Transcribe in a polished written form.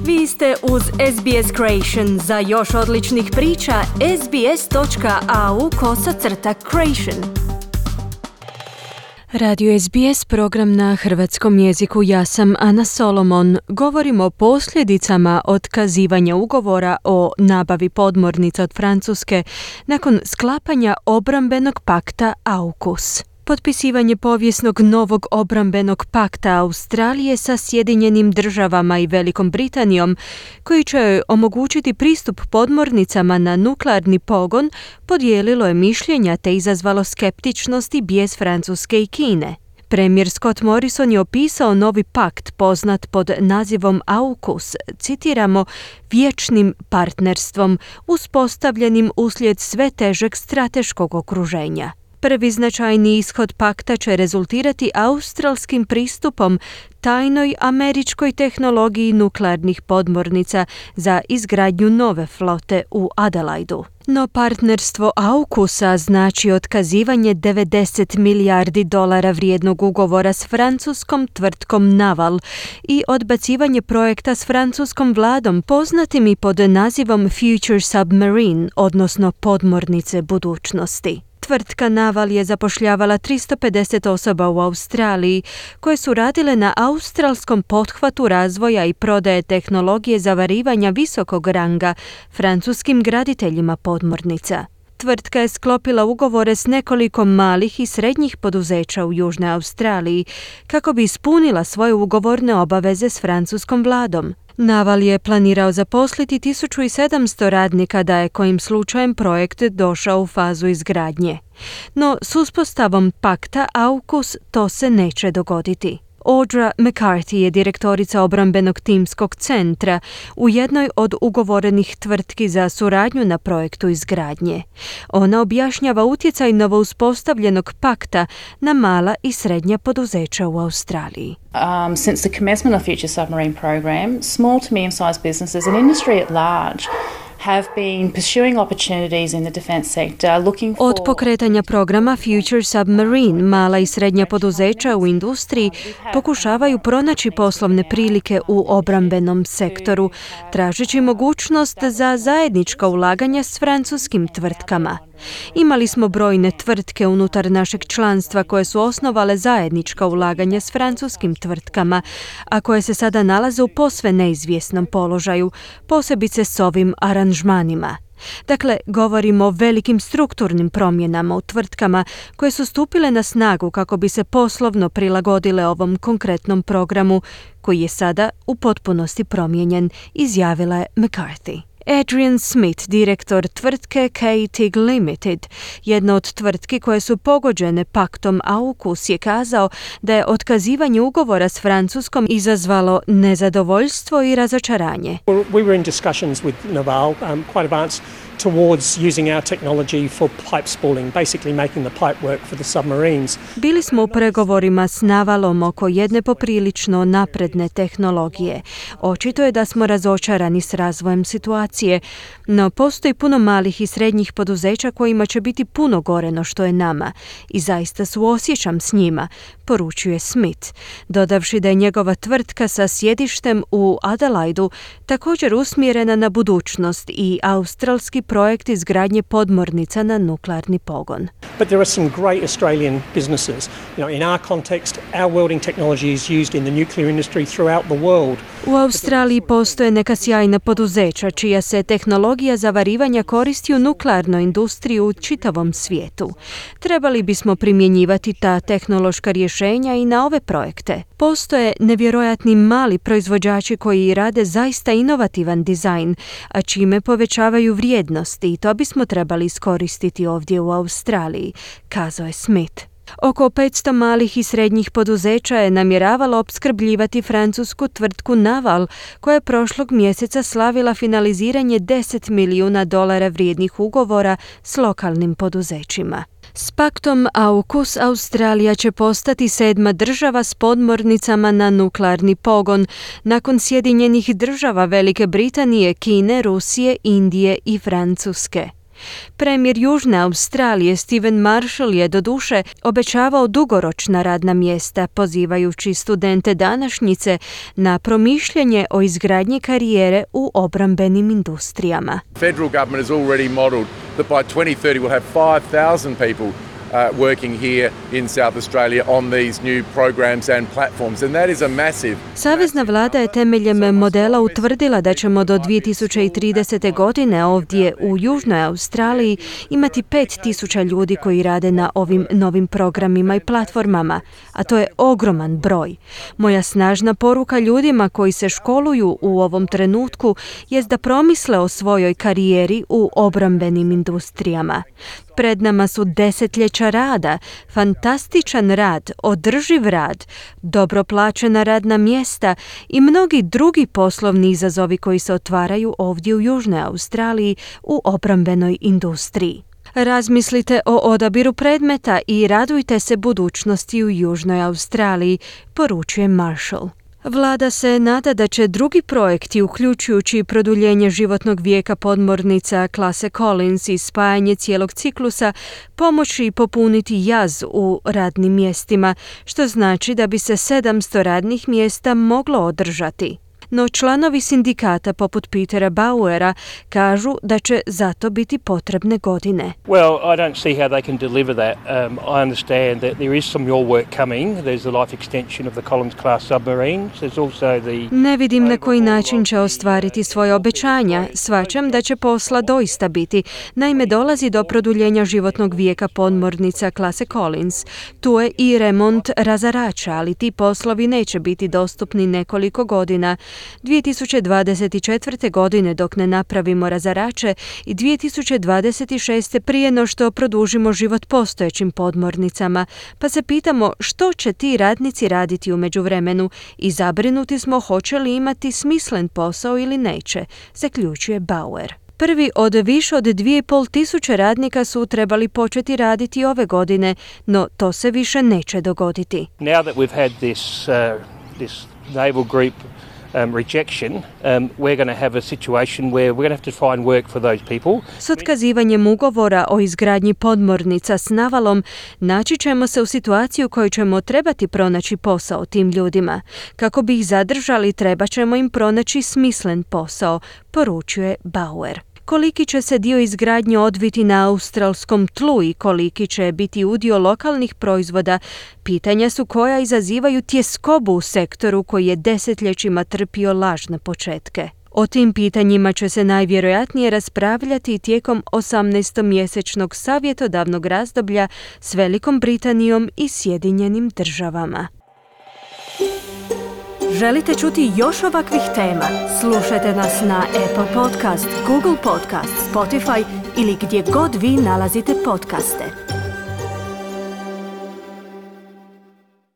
Vi ste uz SBS Creation. Za još odličnih priča, sbs.au/creation. Radio SBS, program na hrvatskom jeziku. Ja sam Ana Solomon. Govorimo o posljedicama otkazivanja ugovora o nabavi podmornica od Francuske nakon sklapanja obrambenog pakta AUKUS. Potpisivanje povijesnog novog obrambenog pakta Australije sa Sjedinjenim državama i Velikom Britanijom, koji će joj omogućiti pristup podmornicama na nuklearni pogon, podijelilo je mišljenja te izazvalo skeptičnost i bijes Francuske i Kine. Premijer Scott Morrison je opisao novi pakt poznat pod nazivom AUKUS, citiramo, vječnim partnerstvom uspostavljenim uslijed sve težeg strateškog okruženja. Prvi značajni ishod pakta će rezultirati australskim pristupom tajnoj američkoj tehnologiji nuklearnih podmornica za izgradnju nove flote u Adelaidu. No partnerstvo AUKUS-a znači otkazivanje $90 milijardi vrijednog ugovora s francuskom tvrtkom Naval i odbacivanje projekta s francuskom vladom poznatim i pod nazivom Future Submarine, odnosno podmornice budućnosti. Tvrtka Naval je zapošljavala 350 osoba u Australiji koje su radile na australskom pothvatu razvoja i prodaje tehnologije zavarivanja visokog ranga francuskim graditeljima podmornica. Tvrtka je sklopila ugovore s nekoliko malih i srednjih poduzeća u Južnoj Australiji kako bi ispunila svoje ugovorne obaveze s francuskom vladom. Naval je planirao zaposliti 1700 radnika da je kojim slučajem projekt došao u fazu izgradnje. No s uspostavom pakta AUKUS to se neće dogoditi. Audra McCarthy je direktorica obrambenog timskog centra u jednoj od ugovorenih tvrtki za suradnju na projektu izgradnje. Ona objašnjava utjecaj novouspostavljenog pakta na mala i srednja poduzeća u Australiji. Since the commencement of Future Submarine program, small to medium-sized businesses and industry at large have been pursuing opportunities in the defense sector looking for... Od pokretanja programa Future Submarine, mala i srednja poduzeća u industriji pokušavaju pronaći poslovne prilike u obrambenom sektoru, tražeći mogućnost za zajednička ulaganja s francuskim tvrtkama. Imali smo brojne tvrtke unutar našeg članstva koje su osnovale zajednička ulaganja s francuskim tvrtkama, a koje se sada nalaze u posve neizvjesnom položaju, posebice s ovim aranžmanima. Dakle, govorimo o velikim strukturnim promjenama u tvrtkama koje su stupile na snagu kako bi se poslovno prilagodile ovom konkretnom programu koji je sada u potpunosti promijenjen, izjavila je McCarthy. Adrian Smith, direktor tvrtke K-TIG Limited, jedna od tvrtki koje su pogođene paktom AUKUS, je kazao da je otkazivanje ugovora s Francuskom izazvalo nezadovoljstvo i razočaranje. We were in discussions with Naval, quite advanced, towards using our technology for pipe spooling, basically making the pipe work for the submarines. Bili smo u pregovorima s Navalom oko jedne poprilično napredne tehnologije. Očito je da smo razočarani s razvojem situacije, no postoji puno malih i srednjih poduzeća kojima će biti puno gore no što je nama i zaista suosjećam s njima, poručuje Smith, dodavši da je njegova tvrtka sa sjedištem u Adelaidu također usmjerena na budućnost i australski projekt izgradnje podmornica na nuklearni pogon. But there are some great Australian businesses. In our context, our welding technology is used in the nuclear industry throughout the world. U Australiji postoje neka sjajna poduzeća čija se tehnologija zavarivanja koristi u nuklearnoj industriji u čitavom svijetu. Trebali bismo primjenjivati ta tehnološka rješenja i na ove projekte. Postoje nevjerojatni mali proizvođači koji rade zaista inovativan dizajn, a čime povećavaju vrijednost i to bismo trebali iskoristiti ovdje u Australiji, kazao je Smith. Oko 500 malih i srednjih poduzeća je namjeravalo opskrbljivati francusku tvrtku Naval, koja je prošlog mjeseca slavila finaliziranje $10 milijuna vrijednih ugovora s lokalnim poduzećima. S paktom AUKUS Australija će postati 7. država s podmornicama na nuklearni pogon, nakon Sjedinjenih država, Velike Britanije, Kine, Rusije, Indije i Francuske. Premijer Južne Australije Stephen Marshall je doduše obećavao dugoročna radna mjesta, pozivajući studente današnjice na promišljanje o izgradnji karijere u obrambenim industrijama. Federal government has already modelled that by 2030 we'll have 5,000 people working here in South Australia on these new programs and platforms, and that is a massive. Savezna vlada je temeljem modela utvrdila da ćemo do 2030. godine ovdje u Južnoj Australiji imati 5,000 ljudi koji rade na ovim novim programima i platformama, a to je ogroman broj. Moja snažna poruka ljudima koji se školuju u ovom trenutku jest da promisle o svojoj karijeri u obrambenim industrijama. Pred nama su desetljeća rada, fantastičan rad, održiv rad, dobro plaćena radna mjesta i mnogi drugi poslovni izazovi koji se otvaraju ovdje u Južnoj Australiji u obrambenoj industriji. Razmislite o odabiru predmeta i radujte se budućnosti u Južnoj Australiji, poručuje Marshall. Vlada se nada da će drugi projekti, uključujući produljenje životnog vijeka podmornica klase Collins i spajanje cijelog ciklusa, pomoći popuniti jaz u radnim mjestima, što znači da bi se 700 radnih mjesta moglo održati. No članovi sindikata poput Petera Bauera kažu da će zato biti potrebne godine. Well, I don't see how they can deliver that. I understand that there is some more work coming. There's the life extension of the Collins class submarines. There's also the... Ne vidim na koji način će ostvariti svoje obećanja. Shvaćam da će posla doista biti. Naime, dolazi do produljenja životnog vijeka podmornica klase Collins. Tu je i remont razarača, ali ti poslovi neće biti dostupni nekoliko godina. 2024. godine dok ne napravimo razarače i 2026. prije no što produžimo život postojećim podmornicama, pa se pitamo što će ti radnici raditi u međuvremenu i zabrinuti smo hoće li imati smislen posao ili neće, zaključuje Bauer. Prvi od više od 2.500 radnika su trebali početi raditi ove godine, no to se više neće dogoditi. Now that we've had this naval group rejection, we're going to have a situation where we're going to have to find work for those people. S otkazivanjem ugovora o izgradnji podmornica s navalom naći ćemo se u situaciju u kojoj ćemo trebati pronaći posao tim ljudima. Kako bi ih zadržali, treba ćemo im pronaći smislen posao, poručuje Bauer. Koliki će se dio izgradnje odviti na australskom tlu i koliki će biti udio lokalnih proizvoda, pitanja su koja izazivaju tjeskobu u sektoru koji je desetljećima trpio lažne početke. O tim pitanjima će se najvjerojatnije raspravljati tijekom 18-mjesečnog savjetodavnog razdoblja s Velikom Britanijom i Sjedinjenim Državama. Želite čuti još ovakvih tema? Slušajte nas na Apple Podcast, Google Podcast, Spotify ili gdje god vi nalazite podcaste.